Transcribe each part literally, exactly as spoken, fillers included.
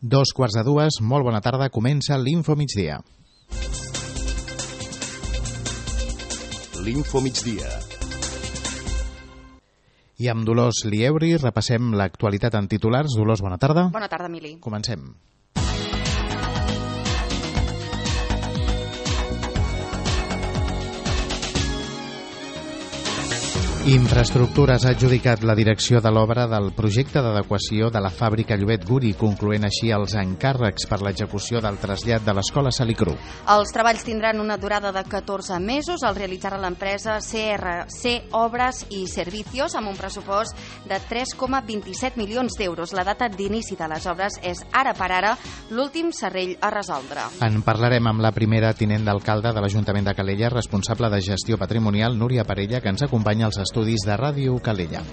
Dos quarts de dues, molt bona tarda, comença l'Info Migdia. L'Info Migdia. I amb Dolors Lieuri repassem l'actualitat en titulars. Dolors, bona tarda. Bona tarda, Emili. Comencem. Infraestructures ha adjudicat la direcció de l'obra del projecte d'adequació de la fàbrica Llobet Guri, concloent així els encàrrecs per l'execució del trasllat de l'escola Salicru. Els treballs tindran una durada de catorze mesos. El realitzarà l'empresa C R C Obres i Servicios amb un pressupost de tres coma vint-i-set milions d'euros. La data d'inici de les obres és ara per ara l'últim serrell a resoldre. En parlarem amb la primera tinent d'alcalde de l'Ajuntament de Calella, responsable de gestió patrimonial, Núria Parella, que ens acompanya als estudis de Ràdio Calella.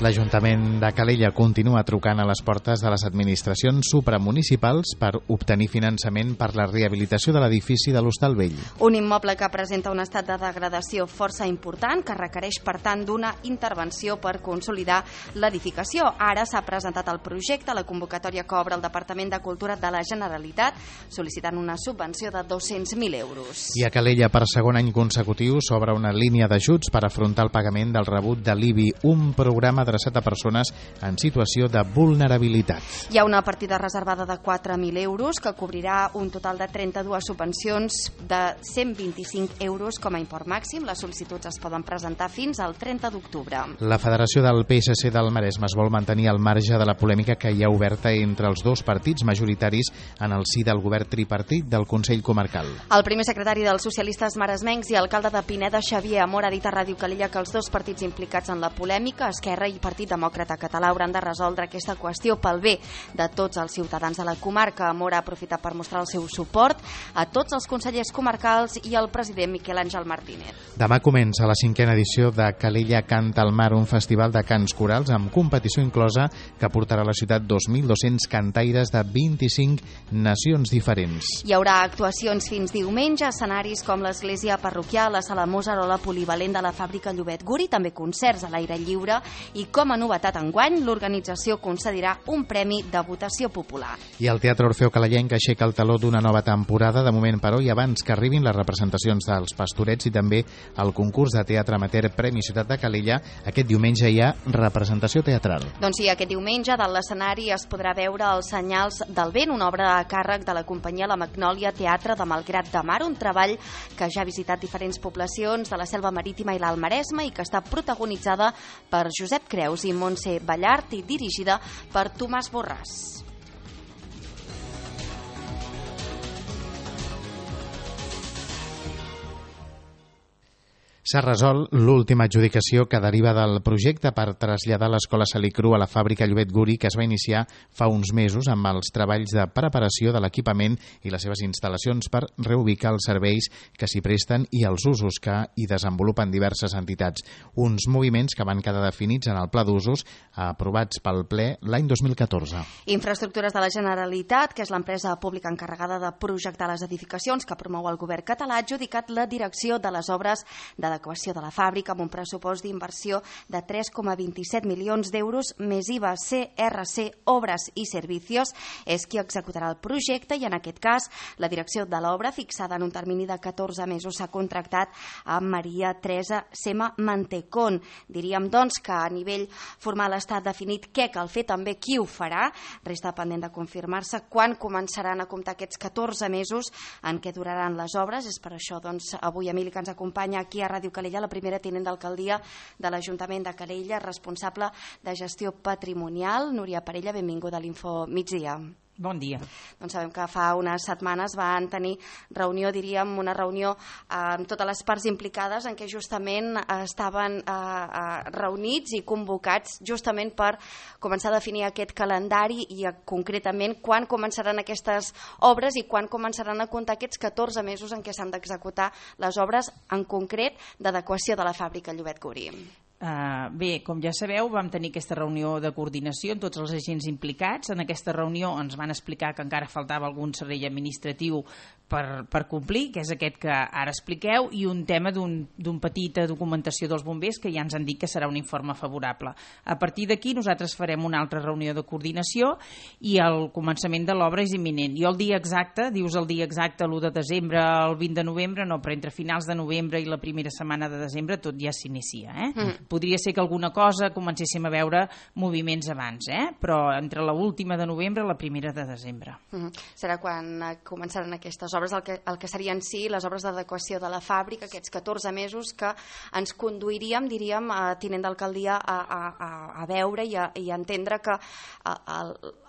L'Ajuntament de Calella continua trucant a les portes de les administracions supramunicipals per obtenir finançament per la rehabilitació de l'edifici de l'Hostal Vell. Un immoble que presenta un estat de degradació força important que requereix, per tant, d'una intervenció per consolidar l'edificació. Ara s'ha presentat el projecte a la convocatòria que obre el Departament de Cultura de la Generalitat, sol·licitant una subvenció de dos-cents mil euros. I a Calella, per segon any consecutiu, s'obre una línia d'ajuts per afrontar el pagament del rebut de l'I B I, un programa adreçat a persones en situació de vulnerabilitat. Hi ha una partida reservada de quatre mil euros que cobrirà un total de trenta-dues subvencions de cent vint-i-cinc euros com a import màxim. Les sol·licituds es poden presentar fins al trenta d'octubre. La Federació del P S C del Maresme es vol mantenir al marge de la polèmica que hi ha oberta entre els dos partits majoritaris en el si del govern tripartit del Consell Comarcal. El primer secretari dels socialistes maresmencs i alcalde de Pineda, Xavier Amor, ha dit a Ràdio Calella que els dos partits implicats en la polèmica, Esquerra i Partit Demòcrata Català, hauran de resoldre aquesta qüestió pel bé de tots els ciutadans de la comarca. Amor ha aprofitat per mostrar el seu suport a tots els consellers comarcals i al president Miquel Àngel Martínez. Demà comença la cinquena edició de Calella Canta al Mar, un festival de cants corals amb competició inclosa que portarà a la ciutat dos mil dos-cents cantaires de vint-i-cinc nacions diferents. Hi haurà actuacions fins diumenge, escenaris com l'església parroquial, la sala Mozart o la polivalent de la fàbrica Llobet Guri, també concerts a l'aire lliure i, com a novetat enguany, l'organització concedirà un premi de votació popular. I el Teatre Orfeo Calellenc aixeca el taló d'una nova temporada, de moment però, i abans que arribin les representacions dels Pastorets i també el concurs de teatre amateur Premi Ciutat de Calella, aquest diumenge hi ha representació teatral. Doncs sí, aquest diumenge dalt l'escenari es podrà veure Els senyals del vent, una obra a càrrec de la companyia La Magnòlia Teatre de Malgrat de Mar, un treball que ja ha visitat diferents poblacions de la Selva Marítima i l'Alt Maresme i que està protagonitzada per Josep Creus i Montse Ballart i dirigida per Tomàs Borràs. S'ha resolt l'última adjudicació que deriva del projecte per traslladar l'escola Salicru a la fàbrica Llobet Guri, que es va iniciar fa uns mesos amb els treballs de preparació de l'equipament i les seves instal·lacions per reubicar els serveis que s'hi presten i els usos que hi desenvolupen diverses entitats. Uns moviments que van quedar definits en el pla d'usos aprovats pel ple l'any dos mil catorze. Infraestructures de la Generalitat, que és l'empresa pública encarregada de projectar les edificacions que promou el govern català, ha adjudicat la direcció de les obres de l'adequació de la fàbrica amb un pressupost d'inversió de tres coma vint-i-set milions d'euros més I V A. C R C Obres i Servicios és qui executarà el projecte i en aquest cas la direcció de l'obra, fixada en un termini de catorze mesos, s'ha contractat a Maria Teresa Sema Mantecón. Diríem, doncs, que a nivell formal està definit què cal fer, també qui ho farà. Resta pendent de confirmar-se quan començaran a comptar aquests catorze mesos en què duraran les obres. És per això, doncs, avui Emili, que ens acompanya aquí a Ràdio Calella, la primera tinent d'alcaldia de l'Ajuntament de Calella, responsable de gestió patrimonial. Núria Parella, benvinguda a l'Info Migdia. Bon dia. Doncs sabem que fa unes setmanes van tenir reunió, diríem, una reunió amb totes les parts implicades en què justament estaven reunits i convocats justament per començar a definir aquest calendari i concretament quan començaran aquestes obres i quan començaran a comptar aquests catorze mesos en què s'han d'executar les obres en concret d'adequació de la fàbrica Llobet Guri. Uh, bé, com ja sabeu, vam tenir aquesta reunió de coordinació amb tots els agents implicats. En aquesta reunió ens van explicar que encara faltava algun servei administratiu per, per complir, que és aquest que ara expliqueu, i un tema d'un d'un petita documentació dels bombers que ja ens han dit que serà un informe favorable. A partir d'aquí nosaltres farem una altra reunió de coordinació i el començament de l'obra és imminent. Jo el dia exacte, dius el dia exacte, l'u de desembre, el vint de novembre, no, però entre finals de novembre i la primera setmana de desembre tot ja s'inicia, eh? Mm. Podria ser que alguna cosa comencéssim a veure moviments abans, eh? Però entre l'última de novembre i la primera de desembre. Mm. Serà quan començaran aquestes obres, el que, el que serien sí les obres d'adequació de la fàbrica, aquests catorze mesos que ens conduiríem, diríem, a tinent d'alcaldia a, a, a veure i a, i a entendre que a, a,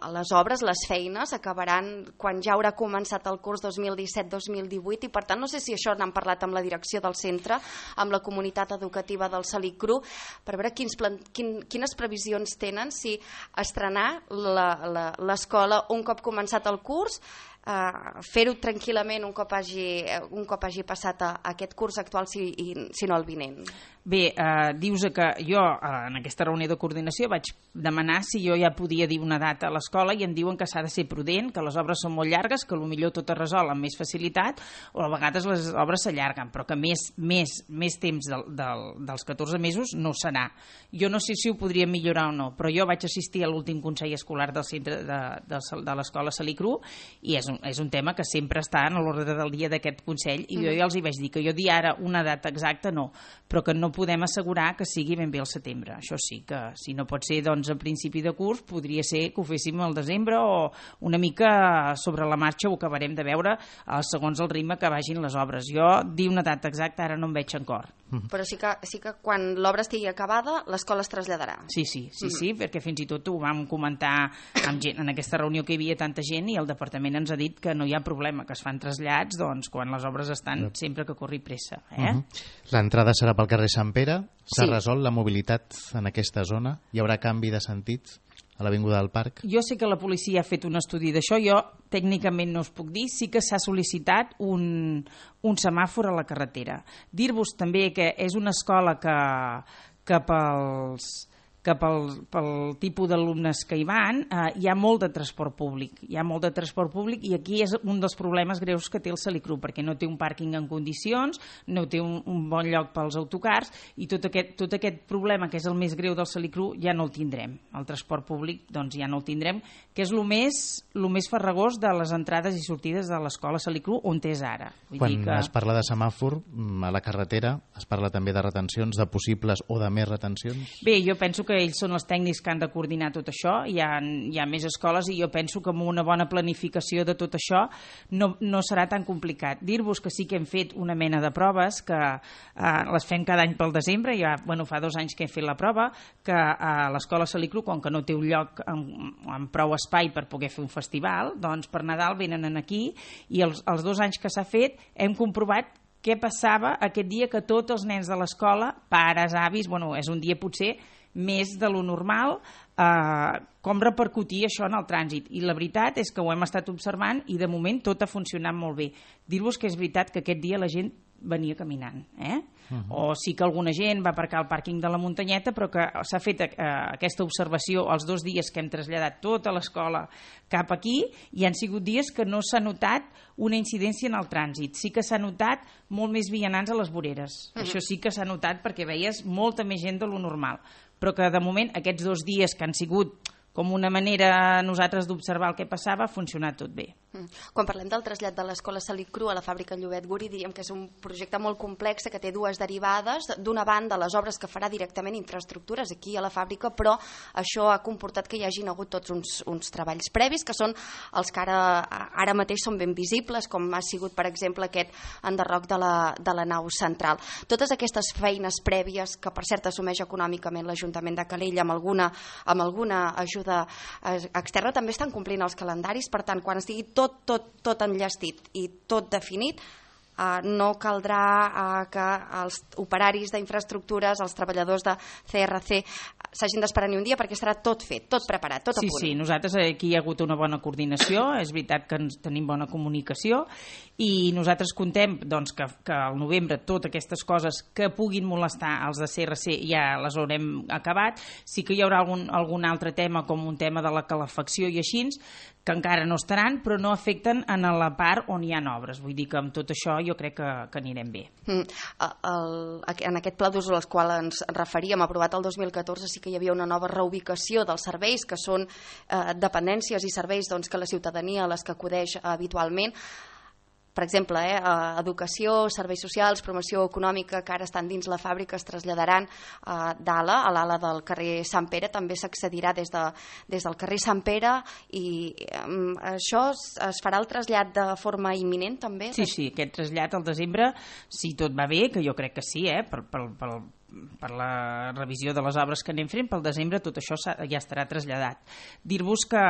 a les obres, les feines, acabaran quan ja haurà començat el curs dos mil disset dos mil divuit i per tant no sé si això n'han parlat amb la direcció del centre, amb la comunitat educativa del Salicru, per veure quins plan, quin, quines previsions tenen, si estrenar l'escola un cop començat el curs, Uh, fer-ho tranquil·lament un cop hagi, un cop hagi passat a, a aquest curs actual, si, i, si no el vinent. Bé, eh, dius que jo eh, en aquesta reunió de coordinació vaig demanar si jo ja podia dir una data a l'escola i em diuen que s'ha de ser prudent, que les obres són molt llargues, que potser tot es resol amb més facilitat o a vegades les obres s'allarguen, però que més, més, més temps del, del, dels catorze mesos no serà. Jo no sé si ho podria millorar o no, però jo vaig assistir a l'últim consell escolar del centre de, de, de l'escola Salicru i és un, és un tema que sempre està en l'ordre del dia d'aquest consell i jo ja els hi vaig dir que jo dir ara una data exacta no, però que no podem assegurar que sigui ben bé al setembre. Això sí, que si no pot ser doncs a principi de curs, podria ser que ho féssim al desembre o una mica sobre la marxa ho acabarem de veure eh, segons el ritme que vagin les obres. Jo dir una data exacta ara no em veig en cor. Mm. Però sí que, sí que quan l'obra estigui acabada l'escola es traslladarà. Sí, sí, sí, mm. sí, perquè fins i tot ho vam comentar amb gent, en aquesta reunió que hi havia tanta gent i el departament ens ha dit que no hi ha problema, que es fan trasllats doncs, quan les obres estan mm. sempre que corri pressa. Eh? Mm-hmm. L'entrada serà pel carrer Sant Pere. S'ha Sí. resolt la mobilitat en aquesta zona? Hi haurà canvi de sentit a l'Avinguda del Parc? Jo sé que la policia ha fet un estudi d'això, jo tècnicament no us puc dir, sí que s'ha sol·licitat un, un semàfor a la carretera. Dir-vos també que és una escola que, que pels... que pel, pel tipus d'alumnes que hi van eh, hi ha molt de transport públic hi ha molt de transport públic i aquí és un dels problemes greus que té el Salicru perquè no té un pàrquing en condicions, no té un, un bon lloc pels autocars i tot aquest, tot aquest problema que és el més greu del Salicru ja no el tindrem, el transport públic doncs ja no el tindrem, que és el més, el més farragós de les entrades i sortides de l'escola Salicru on és ara. Vull Quan dir que... es parla de semàfor a la carretera, es parla també de retencions, de possibles o de més retencions? Bé, jo penso que ells són els tècnics que han de coordinar tot això, hi ha, hi ha més escoles i jo penso que amb una bona planificació de tot això no, no serà tan complicat. Dir-vos que sí que hem fet una mena de proves, que eh, les fem cada any pel desembre, ja bueno, fa dos anys que hem fet la prova, que a eh, l'escola Salicru, com que no té un lloc amb, amb prou espai per poder fer un festival, doncs per Nadal venen aquí i els, els dos anys que s'ha fet hem comprovat què passava aquest dia que tots els nens de l'escola, pares, avis, bueno, és un dia potser més de lo normal, eh, com repercutir això en el trànsit. I la veritat és que ho hem estat observant i de moment tot ha funcionat molt bé. Dir-vos que és veritat que aquest dia la gent venia caminant, eh? Uh-huh. O sí que alguna gent va aparcar al pàrquing de la Muntanyeta, però que s'ha fet eh, aquesta observació els dos dies que hem traslladat tota l'escola cap aquí i han sigut dies que no s'ha notat una incidència en el trànsit. Sí que s'ha notat molt més vianants a les voreres. Uh-huh. Això sí que s'ha notat perquè veies molta més gent de lo normal. Però que de moment aquests dos dies que han sigut com una manera nosaltres d'observar el que passava, ha funcionat tot bé. Quan parlem del trasllat de l'escola Salicru a la fàbrica Llobet Guri, diríem que és un projecte molt complex que té dues derivades. D'una banda, les obres que farà directament infraestructures aquí a la fàbrica, però això ha comportat que hi hagin hagut tots uns, uns treballs previs, que són els que ara, ara mateix són ben visibles, com ha sigut, per exemple, aquest enderroc de la, de la nau central. Totes aquestes feines prèvies, que per cert assumeix econòmicament l'Ajuntament de Calella amb alguna, amb alguna ajuda externa, també estan complint els calendaris. Per tant, quan estigui tot, tot, tot enllestit i tot definit, Uh, no caldrà uh, que els operaris d'infraestructures, els treballadors de C R C s'hagin d'esperar ni un dia perquè estarà tot fet, tot preparat, tot a sí, punt. Sí, sí, nosaltres aquí hi ha hagut una bona coordinació, és veritat que ens tenim bona comunicació i nosaltres contem doncs, que, que al novembre totes aquestes coses que puguin molestar als de C R C ja les haurem acabat. Sí que hi haurà algun, algun altre tema com un tema de la calefacció i així, que encara no estaran, però no afecten en la part on hi ha obres. Vull dir que amb tot això jo crec que, que anirem bé. Mm. El, en aquest pla d'usos al qual ens referíem, aprovat el dos mil catorze, sí que hi havia una nova reubicació dels serveis, que són eh, dependències i serveis doncs, que la ciutadania a les que acudeix habitualment. Per exemple, eh, educació, serveis socials, promoció econòmica, que ara estan dins la fàbrica, es traslladaran eh, d'ala, a l'ala del carrer Sant Pere, també s'accedirà des, de, des del carrer Sant Pere i eh, això es, es farà el trasllat de forma imminent també? Sí, sí, aquest trasllat al desembre, si tot va bé, que jo crec que sí, eh, per, per, per, per la revisió de les obres que anem fent, pel desembre tot això ja estarà traslladat. Dir-vos que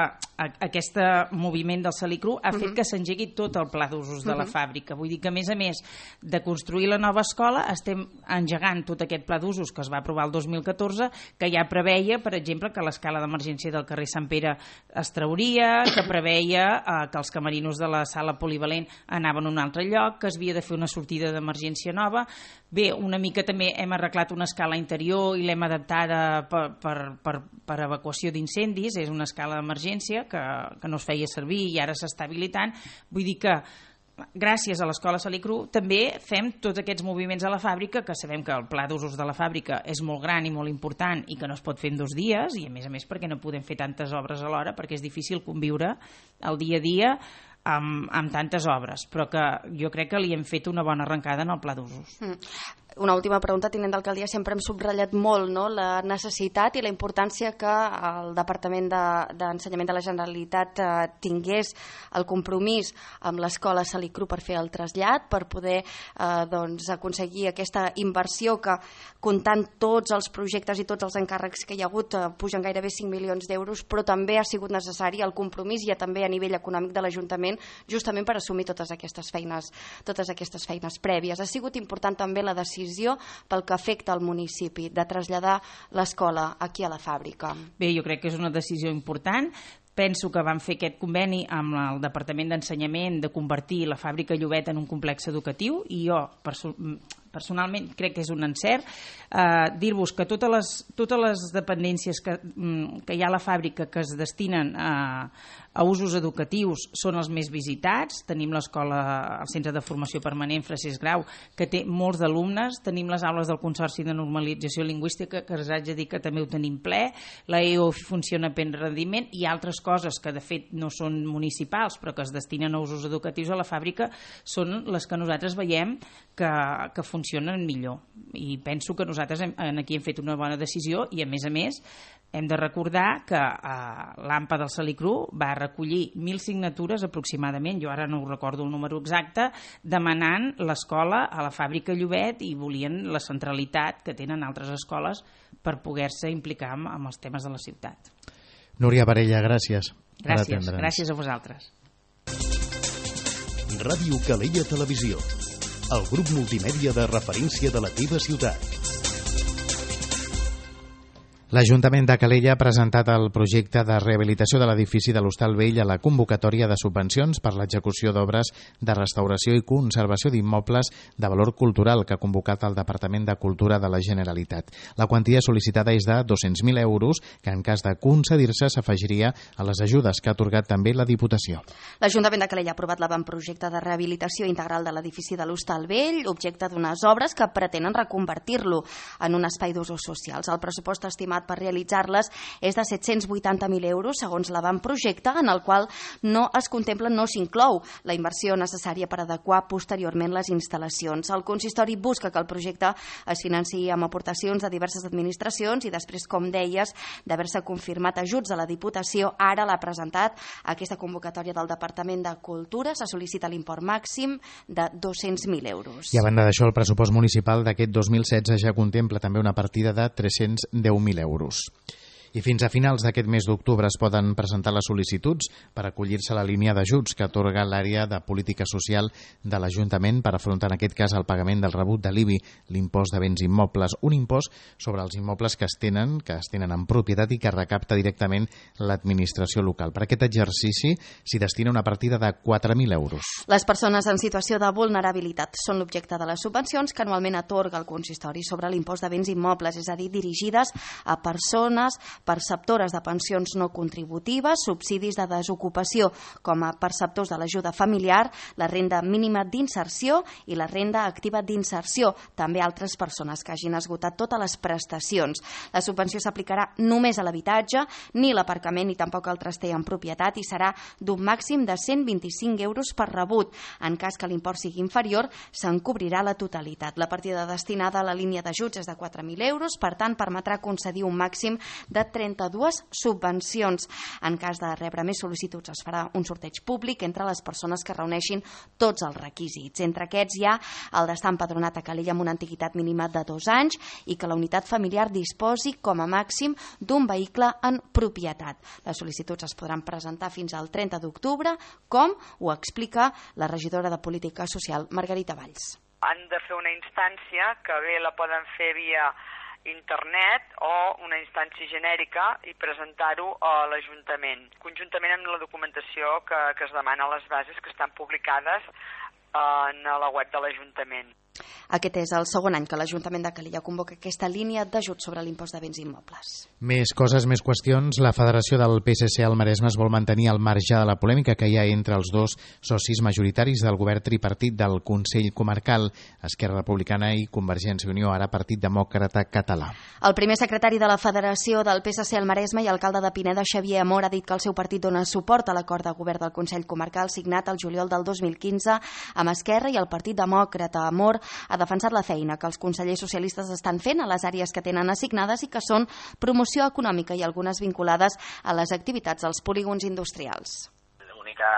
aquest moviment del Salicru ha fet uh-huh. que s'engegui tot el pla d'usos de la uh-huh. fàbrica. Vull dir que, a més a més de construir la nova escola, estem engegant tot aquest pla d'usos que es va aprovar el dos mil catorze, que ja preveia, per exemple, que l'escala d'emergència del carrer Sant Pere es trauria, que preveia eh, que els camerinos de la sala polivalent anaven a un altre lloc, que es havia de fer una sortida d'emergència nova. Bé, una mica també hem arreglat una escala interior i l'hem adaptada per, per, per, per evacuació d'incendis, és una escala d'emergència que, que no es feia servir i ara s'està habilitant. Vull dir que gràcies a l'Escola Salicru també fem tots aquests moviments a la fàbrica, que sabem que el pla d'usos de la fàbrica és molt gran i molt important i que no es pot fer en dos dies, i a més a més perquè no podem fer tantes obres alhora, perquè és difícil conviure el dia a dia amb, amb tantes obres, però que jo crec que li hem fet una bona arrencada en el pla d'usos. Mm. Una última pregunta, tinent d'alcaldia, sempre hem subratllat molt, no?, la necessitat i la importància que el Departament d'Ensenyament de, de la Generalitat eh, tingués el compromís amb l'Escola Salicru per fer el trasllat, per poder eh, doncs, aconseguir aquesta inversió que, comptant tots els projectes i tots els encàrrecs que hi ha hagut, eh, pugen gairebé cinc milions d'euros, però també ha sigut necessari el compromís i també a nivell econòmic de l'Ajuntament, justament per assumir totes aquestes feines, totes aquestes feines prèvies. Ha sigut important també la decisió pel que afecta al municipi de traslladar l'escola aquí a la fàbrica. Bé, jo crec que és una decisió important. Penso que vam fer aquest conveni amb el Departament d'Ensenyament de convertir la fàbrica Llobet en un complex educatiu i jo perso personalment crec que és un encert. Eh, dir-vos que totes les, totes les dependències que, que hi ha a la fàbrica que es destinen a, a usos educatius són els més visitats. Tenim l'escola, el Centre de Formació Permanent Francesc Grau, que té molts d'alumnes. Tenim les aules del Consorci de Normalització Lingüística, que us haig de dir que també ho tenim ple. La E O funciona a ple rendiment i altres coses que de fet no són municipals però que es destinen a usos educatius a la fàbrica són les que nosaltres veiem que, que funcionen millor, i penso que nosaltres hem, aquí hem fet una bona decisió i a més a més hem de recordar que eh, l'AMPA del Salicru va recollir mil signatures aproximadament, jo ara no ho recordo el número exacte, demanant l'escola a la fàbrica Llobet i volien la centralitat que tenen altres escoles per poder-se implicar amb, amb els temes de la ciutat. Núria Varella, gràcies. Gràcies, gràcies a vosaltres. Ràdio Calella Televisió, el grup multimèdia de referència de la teva ciutat. L'Ajuntament de Calella ha presentat el projecte de rehabilitació de l'edifici de l'Hostal Vell a la convocatòria de subvencions per l'execució d'obres de restauració i conservació d'immobles de valor cultural que ha convocat el Departament de Cultura de la Generalitat. La quantia sol·licitada és de dos-cents mil euros, que en cas de concedir-se s'afegiria a les ajudes que ha atorgat també la Diputació. L'Ajuntament de Calella ha aprovat l'avantprojecte de rehabilitació integral de l'edifici de l'Hostal Vell, objecte d'unes obres que pretenen reconvertir-lo en un espai d'usos socials. El pressupost estimat per realitzar-les és de set-cents vuitanta mil euros, segons l'avantprojecte, en el qual no es contempla, no s'inclou la inversió necessària per adequar posteriorment les instal·lacions. El consistori busca que el projecte es financiï amb aportacions de diverses administracions i després, com deies, d'haver-se confirmat ajuts a la Diputació, ara l'ha presentat aquesta convocatòria del Departament de Cultura. Se sol·licita l'import màxim de dos-cents mil euros. I a banda d'això, el pressupost municipal d'aquest dos mil setze ja contempla també una partida de tres-cents deu mil euros. I fins a finals d'aquest mes d'octubre es poden presentar les sol·licituds per acollir-se a la línia d'ajuts que atorga l'àrea de política social de l'Ajuntament per afrontar en aquest cas el pagament del rebut de l'I B I, l'impost de béns immobles, un impost sobre els immobles que es tenen, que es tenen en propietat i que recapta directament l'administració local. Per aquest exercici s'hi destina una partida de quatre mil euros. Les persones en situació de vulnerabilitat són l'objecte de les subvencions que anualment atorga el consistori sobre l'impost de béns immobles, és a dir, dirigides a persones perceptores de pensions no contributives, subsidis de desocupació com a perceptors de l'ajuda familiar, la renda mínima d'inserció i la renda activa d'inserció, també altres persones que hagin esgotat totes les prestacions. La subvenció s'aplicarà només a l'habitatge, ni l'aparcament ni tampoc el traster en propietat i serà d'un màxim de cent vint-i-cinc euros per rebut. En cas que l'import sigui inferior, se'n cobrirà la totalitat. La partida destinada a la línia d'ajuts és de quatre mil euros, per tant, permetrà concedir un màxim de trenta-dues subvencions. En cas de rebre més sol·licituds es farà un sorteig públic entre les persones que reuneixin tots els requisits. Entre aquests hi ha el d'estar empadronat a Calella amb una antiguitat mínima de dos anys i que la unitat familiar disposi com a màxim d'un vehicle en propietat. Les sol·licituds es podran presentar fins al trenta d'octubre, com ho explica la regidora de Política Social, Margarita Valls. Han de fer una instància que bé la poden fer via internet o una instància genèrica i presentar-ho a l'Ajuntament, conjuntament amb la documentació que, que es demana a les bases que estan publicades en la web de l'Ajuntament. Aquest és el segon any que l'Ajuntament de Calella convoca aquesta línia d'ajut sobre l'impost de béns immobles. Més coses, més qüestions. La Federació del P S C al Maresme es vol mantenir al marge de la polèmica que hi ha entre els dos socis majoritaris del govern tripartit del Consell Comarcal, Esquerra Republicana i Convergència i Unió, ara Partit Demòcrata Català. El primer secretari de la Federació del P S C al Maresme i alcalde de Pineda, Xavier Amor, ha dit que el seu partit dona suport a l'acord de govern del Consell Comarcal signat el juliol del dos mil quinze amb Esquerra i el Partit Demòcrata. Amor ha defensat la feina que els consellers socialistes estan fent a les àrees que tenen assignades i que són promoció econòmica i algunes vinculades a les activitats dels polígons industrials. L'única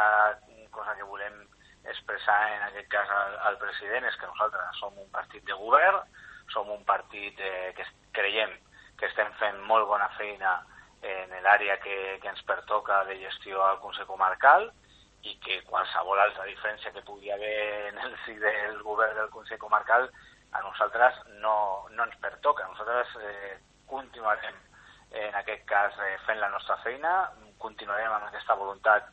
cosa que volem expressar en aquest cas al, al president és que nosaltres som un partit de govern, som un partit eh, que creiem que estem fent molt bona feina en l'àrea que, que ens pertoca de gestió al Consell Comarcal i que qualsevol altra diferència que pugui haver en el si del govern del Consell Comarcal a nosaltres no, no ens pertoca. Nosaltres eh, continuarem en aquest cas eh, fent la nostra feina, continuarem amb aquesta voluntat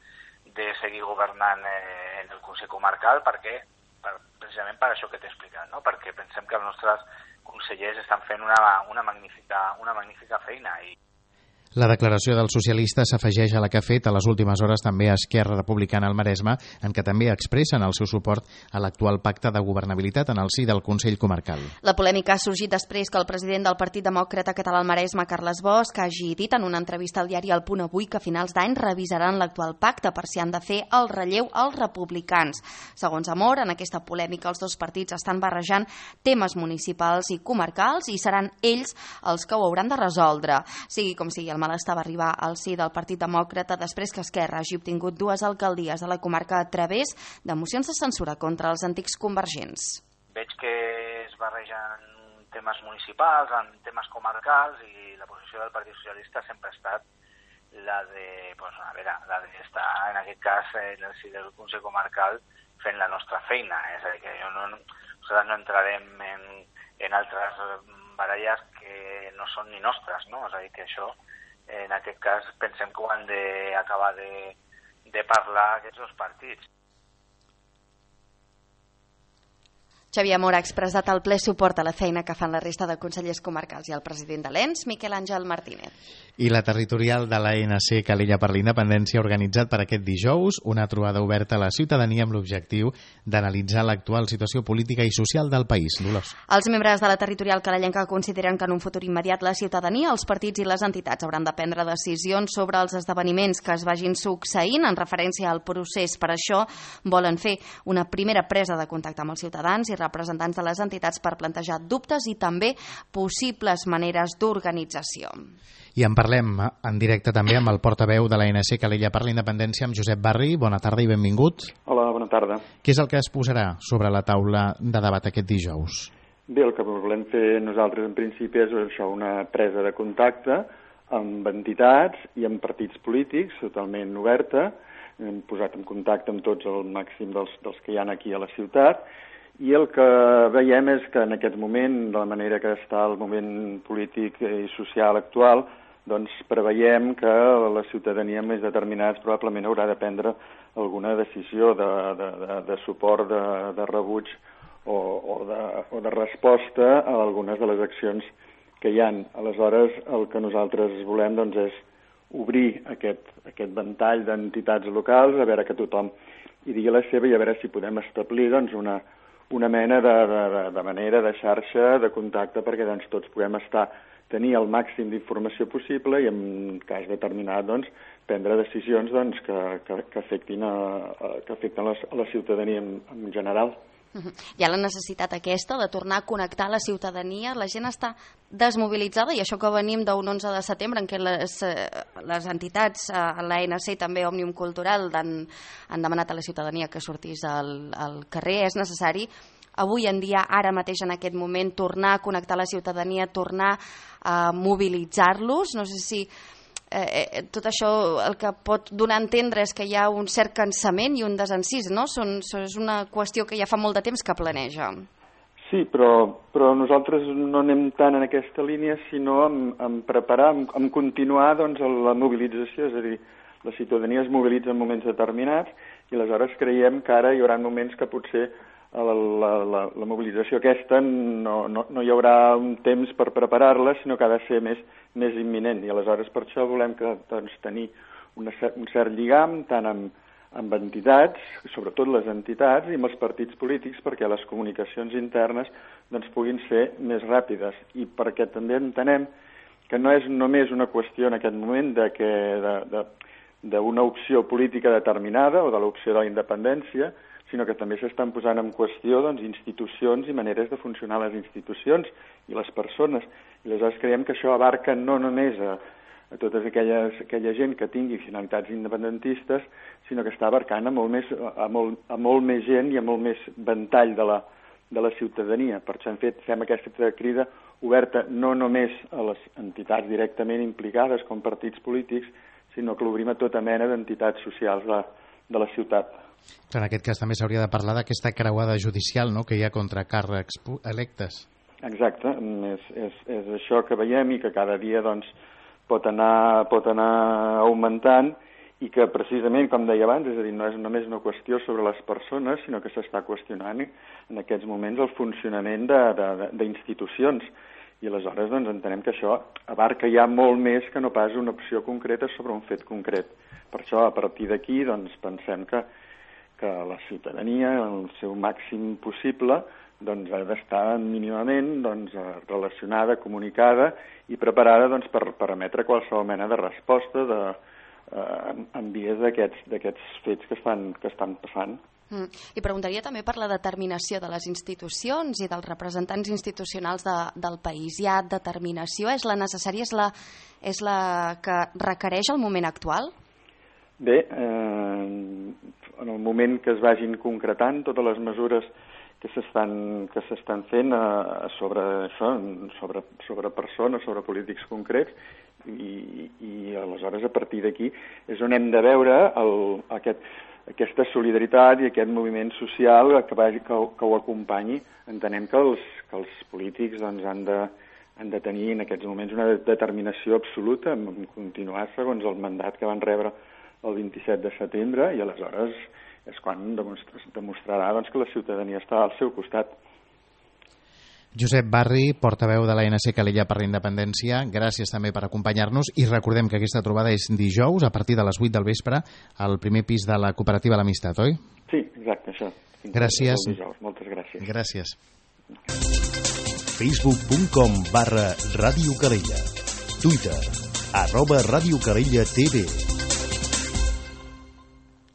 de seguir governant eh, en el Consell Comarcal perquè, per, precisament per això que t'he explicat, no? Perquè pensem que els nostres consellers estan fent una, una, magnífica, una magnífica feina i La declaració del socialista s'afegeix a la que ha fet a les últimes hores també a Esquerra Republicana al Maresme, en què també expressen el seu suport a l'actual pacte de governabilitat en el si del Consell Comarcal. La polèmica ha sorgit després que el president del Partit Demòcrata Català al Maresme, Carles Bosch, hagi dit en una entrevista al diari El Punt Avui que a finals d'any revisaran l'actual pacte per si han de fer el relleu als republicans. Segons Amor, en aquesta polèmica els dos partits estan barrejant temes municipals i comarcals i seran ells els que ho hauran de resoldre. Sigui com sigui, el malestar va arribar al si del Partit Demòcrata després que Esquerra hagi obtingut dues alcaldies a la comarca a través de mocions de censura contra els antics convergents. Veig que es barregen temes municipals amb temes comarcals i la posició del Partit Socialista sempre ha estat la de, pues, a veure, la d'estar en aquest cas en el si del Consell Comarcal fent la nostra feina. És a dir, que jo no, nosaltres no entrarem en, en altres baralles que no són ni nostres, no? És a dir, que això en aquest cas pensem que ho han d'acabar de, de parlar aquests dos partits. Xavier Amor ha expressat el ple suport a la feina que fan la resta de consellers comarcals i el president de l'E N S, Miquel Àngel Martínez. I la territorial de l'A N C Calella per la Independència ha organitzat per aquest dijous una trobada oberta a la ciutadania amb l'objectiu d'analitzar l'actual situació política i social del país. Dolors. Els membres de la territorial calellenca consideren que en un futur immediat la ciutadania, els partits i les entitats hauran de prendre decisions sobre els esdeveniments que es vagin succeint en referència al procés. Per això volen fer una primera presa de contacte amb els ciutadans i representants de les entitats per plantejar dubtes i també possibles maneres d'organització. I en parlem en directe també amb el portaveu de l'A N C Calella per la Independència, amb Josep Barri. Bona tarda i benvingut. Hola, bona tarda. Què és el que es posarà sobre la taula de debat aquest dijous? Bé, el que volem fer nosaltres en principi és això, una presa de contacte amb entitats i amb partits polítics, totalment oberta. Hem posat en contacte amb tots el màxim dels, dels que hi ha aquí a la ciutat, i el que veiem és que en aquest moment, de la manera que està el moment polític i social actual, doncs preveiem que la ciutadania més determinats probablement haurà de prendre alguna decisió de, de, de, de suport, de, de rebuig o, o, de, o de resposta a algunes de les accions que hi ha. Aleshores, el que nosaltres volem doncs, és obrir aquest, aquest ventall d'entitats locals, a veure que tothom hi digui la seva i a veure si podem establir doncs, una, una mena de, de, de manera, de xarxa, de contacte, perquè doncs, tots puguem estar, tenir el màxim d'informació possible i en cas determinat doncs, prendre decisions doncs, que, que, que afectin, a, a, que afecten a la, a la ciutadania en, en general. Hi ha la necessitat aquesta de tornar a connectar la ciutadania, la gent està desmobilitzada i això que venim d'un onze de setembre en què les, les entitats, l'A N C i també Òmnium Cultural han, han demanat a la ciutadania que sortís al, al carrer. És necessari avui en dia, ara mateix en aquest moment, tornar a connectar la ciutadania, tornar a mobilitzar-los. No sé si Eh, tot això el que pot donar a entendre és que hi ha un cert cansament i un desencís, no? Són, és una qüestió que ja fa molt de temps que planeja. Sí, però, però nosaltres no anem tant en aquesta línia, sinó en, en preparar, en, en continuar doncs, la mobilització, és a dir, la ciutadania es mobilitza en moments determinats i aleshores creiem que ara hi haurà moments que potser la, la, la, la mobilització aquesta no, no, no hi haurà un temps per preparar-la, sinó que ha de ser més, més imminent. I aleshores per això volem que, doncs, tenir una, un cert lligam tant amb, amb entitats, sobretot les entitats i amb els partits polítics, perquè les comunicacions internes doncs, puguin ser més ràpides. I perquè també entenem que no és només una qüestió en aquest moment de que de, de, d'una opció política determinada o de l'opció de la independència, sinó que també s'estan posant en qüestió doncs, institucions i maneres de funcionar les institucions i les persones. I aleshores creiem que això abarca no només a, a tota aquella gent que tingui finalitats independentistes, sinó que està abarcant a molt més, a molt, a molt més gent i a molt més ventall de la, de la ciutadania. Per això hem fet, fem aquesta crida oberta no només a les entitats directament implicades com partits polítics, sinó que l'obrim a tota mena d'entitats socials de, de la ciutat. En aquest cas també s'hauria de parlar d'aquesta creuada judicial, no?, que hi ha contra càrrecs electes. Exacte, és, és, és això que veiem i que cada dia doncs, pot, anar, pot anar augmentant i que precisament, com deia abans, és a dir, no és només una qüestió sobre les persones, sinó que s'està qüestionant en aquests moments el funcionament d'institucions. I aleshores doncs, entenem que això abarca ja molt més que no pas una opció concreta sobre un fet concret. Per això, a partir d'aquí, doncs, pensem que que la ciutadania, el seu màxim possible, doncs, ha d'estar mínimament doncs, relacionada, comunicada i preparada doncs, per, per emetre qualsevol mena de resposta de, eh, en vies d'aquests fets que estan, que estan passant. Mm. I preguntaria també per la determinació de les institucions i dels representants institucionals de, del país. Hi ha determinació? És la necessària? És la, és la que requereix el moment actual? Bé, eh, en el moment que es vagin concretant totes les mesures que s'estan que s'estan fent eh, sobre això, sobre, sobre persones, sobre polítics concrets, i, i aleshores a partir d'aquí és on hem de veure el, aquest, aquesta solidaritat i aquest moviment social que, vagi, que, que ho acompanyi. Entenem que els, que els polítics doncs, han de han de tenir en aquests moments una determinació absoluta en continuar segons el mandat que van rebre el vint-i-set de setembre, i aleshores és quan demostrarà doncs, que la ciutadania està al seu costat. Josep Barri, portaveu de l'A N C Calella per la Independència, gràcies també per acompanyar-nos i recordem que aquesta trobada és dijous a partir de les vuit del vespre al primer pis de la cooperativa L'Amistat, oi? Sí, exacte, això. Gràcies. Moltes gràcies. Gràcies. facebook punt com barra Ràdio Calella. Twitter, arroba Ràdio Calella T V.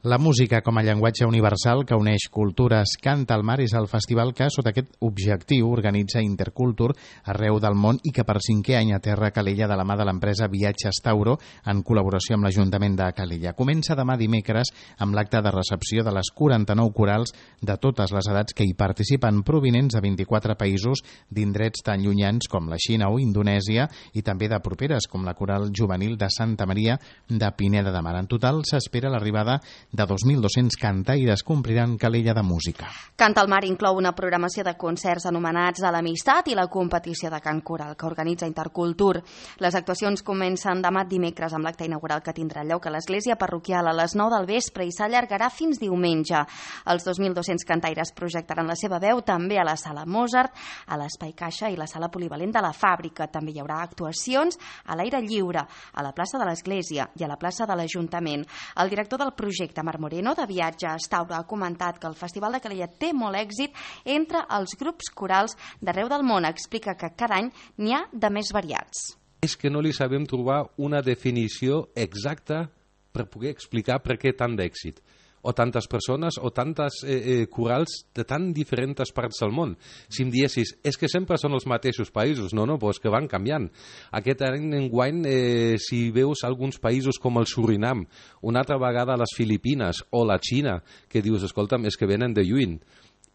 La música com a llenguatge universal que uneix cultures. Cant al mar és el festival que, sota aquest objectiu, organitza Intercultur arreu del món i que per cinquè any aterra a Calella de la mà de l'empresa Viatges Tauro en col·laboració amb l'Ajuntament de Calella. Comença demà dimecres amb l'acte de recepció de les quaranta-nou corals de totes les edats que hi participen, provinents de vint-i-quatre països d'indrets tan llunyans com la Xina o Indonèsia i també de properes com la coral juvenil de Santa Maria de Pineda de Mar. En total s'espera l'arribada de dos mil dos-cents cantaires que ompliran Calella de música. Cant al mar inclou una programació de concerts anomenats a l'Amistat i la competició de cant coral que organitza Intercultur. Les actuacions comencen demà dimecres amb l'acte inaugural que tindrà lloc a l'església parroquial a les nou del vespre i s'allargarà fins diumenge. Els dos mil dos-cents cantaires projectaran la seva veu també a la Sala Mozart, a l'Espai Caixa i la Sala Polivalent de la Fàbrica. També hi haurà actuacions a l'aire lliure, a la plaça de l'església i a la plaça de l'Ajuntament. El director del projecte, Marc Moreno, de Viatges Tauro, ha comentat que el Festival de Calella té molt èxit entre els grups corals d'arreu del món. Explica que cada any n'hi ha de més variats. És que no li sabem trobar una definició exacta per poder explicar per què tant d'èxit. O tantes persones o tantes eh, eh, corals de tan diferents parts del món. Si em diessis, és que sempre són els mateixos països. No, no, però és que van canviant. Aquest any enguany, eh, si veus alguns països com el Surinam, una altra vegada les Filipines o la Xina, que dius, escolta'm, és que venen de lluny.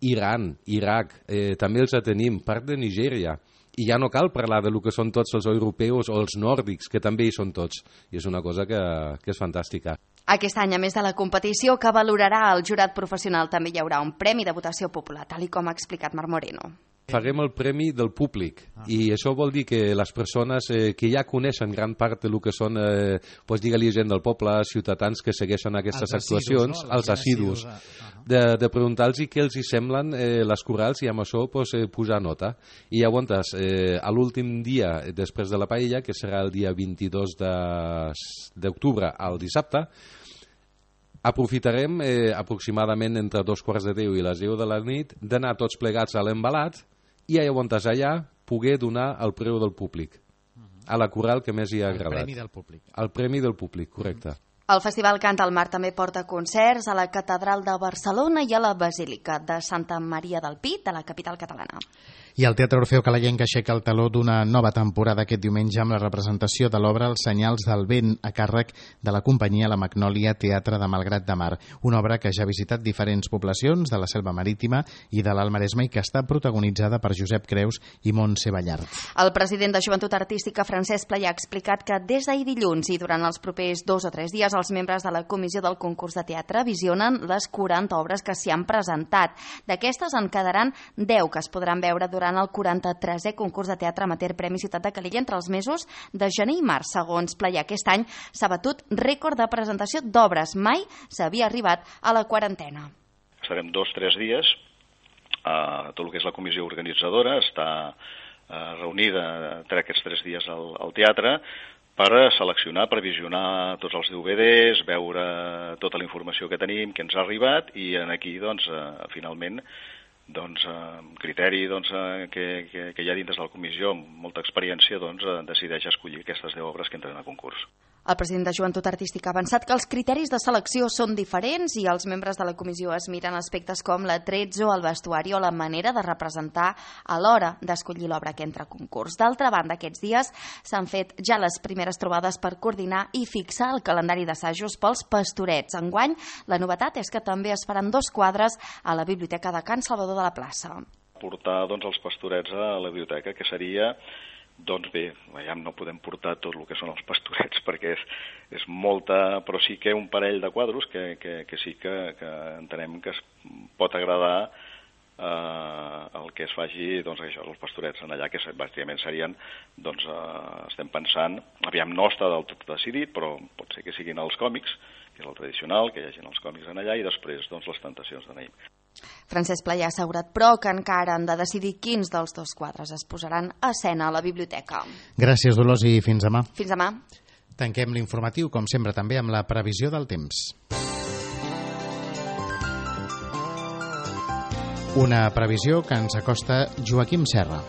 Iran, Iraq, eh, també els tenim, part de Nigèria. I ja no cal parlar de lo que són tots els europeus o els nòrdics, que també hi són tots. I és una cosa que, que és fantàstica. Aquest any, a més de la competició que valorarà el jurat professional, també hi haurà un premi de votació popular, tal com ha explicat Marc Moreno. Farem el premi del públic i això vol dir que les persones eh, que ja coneixen gran part del que són, eh, pues, digue-li gent del poble, ciutadans que segueixen aquestes els actuacions, assidus, no? els assidus, de, de preguntar-los què els hi semblen eh, les corals i amb això pues, eh, posar nota. I llavors, eh, a l'últim dia després de la paella, que serà el dia vint-i-dos d'octubre al dissabte, aprofitarem eh, aproximadament entre dos quarts de deu i les deu de la nit d'anar tots plegats a l'embalat i llavors allà poder donar el preu del públic a la coral que més hi ha agradat. El premi del públic. El premi del públic, correcte. El Festival Cant al Mar també porta concerts a la Catedral de Barcelona i a la Basílica de Santa Maria del Pi, de la capital catalana. I el Teatre Orfeo Calellenc aixeca el taló d'una nova temporada aquest diumenge amb la representació de l'obra Els senyals del vent a càrrec de la companyia La Magnòlia Teatre de Malgrat de Mar, una obra que ja ha visitat diferents poblacions de la Selva Marítima i de l'Alt Maresme i que està protagonitzada per Josep Creus i Montse Ballart. El president de Joventut Artística, Francesc Playà, ha explicat que des d'ahir dilluns i durant els propers dos o tres dies els membres de la comissió del concurs de teatre visionen les quaranta obres que s'hi han presentat. D'aquestes en quedaran deu que es podran veure durant durant el quaranta-tresè concurs de teatre amateur Premi Ciutat de Calella entre els mesos de gener i març. Segons Playà, aquest any s'ha batut rècord de presentació d'obres. Mai s'havia arribat a la quarantena. Estarem dos o tres dies. Uh, tot el que és la comissió organitzadora està uh, reunida entre aquests tres dies al, al teatre per seleccionar, per visionar tots els D V Ds, veure tota la informació que tenim, que ens ha arribat, i aquí, doncs, uh, finalment, doncs, amb criteri doncs, que, que, que hi ha dins de la comissió amb molta experiència, doncs, decideix escollir aquestes deu obres que entren a concurs. El president de Joventut Artística ha avançat que els criteris de selecció són diferents i els membres de la comissió es miren aspectes com l'atrezzo, el vestuari o la manera de representar a l'hora d'escollir l'obra que entra a concurs. D'altra banda, aquests dies s'han fet ja les primeres trobades per coordinar i fixar el calendari d'assajos pels Pastorets. Enguany, la novetat és que també es faran dos quadres a la Biblioteca de Can Salvador de la Plaça. Portar doncs, els Pastorets a la biblioteca, que seria... Doncs bé, ja no podem portar tot el que són els Pastorets perquè és, és molta, però sí que un parell de quadros que, que, que sí que, que entenem que es pot agradar eh, el que es faci, doncs això, els Pastorets en allà, que bàsicament serien, doncs eh, estem pensant, aviam no està del tot decidit, però pot ser que siguin els còmics, que és el tradicional, que hi hagin els còmics en allà, i després doncs les Tentacions de Naïm. Francesc Playà ha assegurat, però, que encara han de decidir quins dels dos quadres es posaran a escena a la biblioteca. Gràcies, Dolors, i fins demà. Fins demà. Tanquem l'informatiu, com sempre, també amb la previsió del temps. Una previsió que ens acosta Joaquim Serra.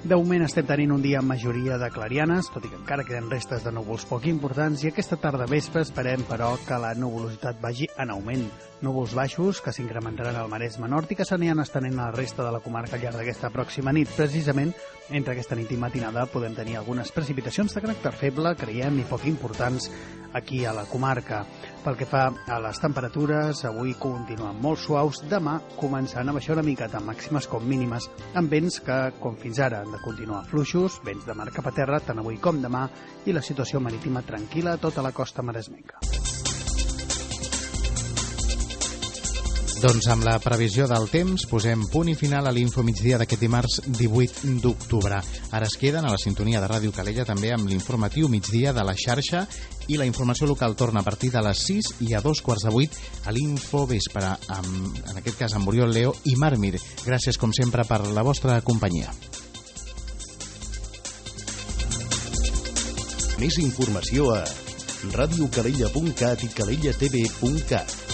De moment estem tenint un dia amb majoria de clarianes, tot i que encara queden restes de núvols poc importants, i aquesta tarda vespre esperem, però, que la nuvolositat vagi en augment. Núvols baixos que s'incrementaran al Maresme Nord i que s'aniran estenent a la resta de la comarca al llarg d'aquesta pròxima nit. Precisament, entre aquesta nit i matinada podem tenir algunes precipitacions de caràcter feble, creiem, i poc importants aquí a la comarca. Pel que fa a les temperatures, avui continuen molt suaus, demà començant a baixar una mica, tant màximes com mínimes, amb vents que, com fins ara, han de continuar fluixos, vents de mar cap a terra, tant avui com demà, i la situació marítima tranquil·la a tota la costa maresmenca. Doncs amb la previsió del temps posem punt i final a l'Info Migdia d'aquest dimarts divuit d'octubre. Ara es queden a la sintonia de Ràdio Calella també amb l'informatiu migdia de la xarxa i la informació local torna a partir de les sis i a dos quarts de vuit a l'Info Vespre, amb, en aquest cas amb Oriol Leo i Marc Mir. Gràcies com sempre per la vostra companyia. Més informació a radiocalella punt cat i calella t v punt cat.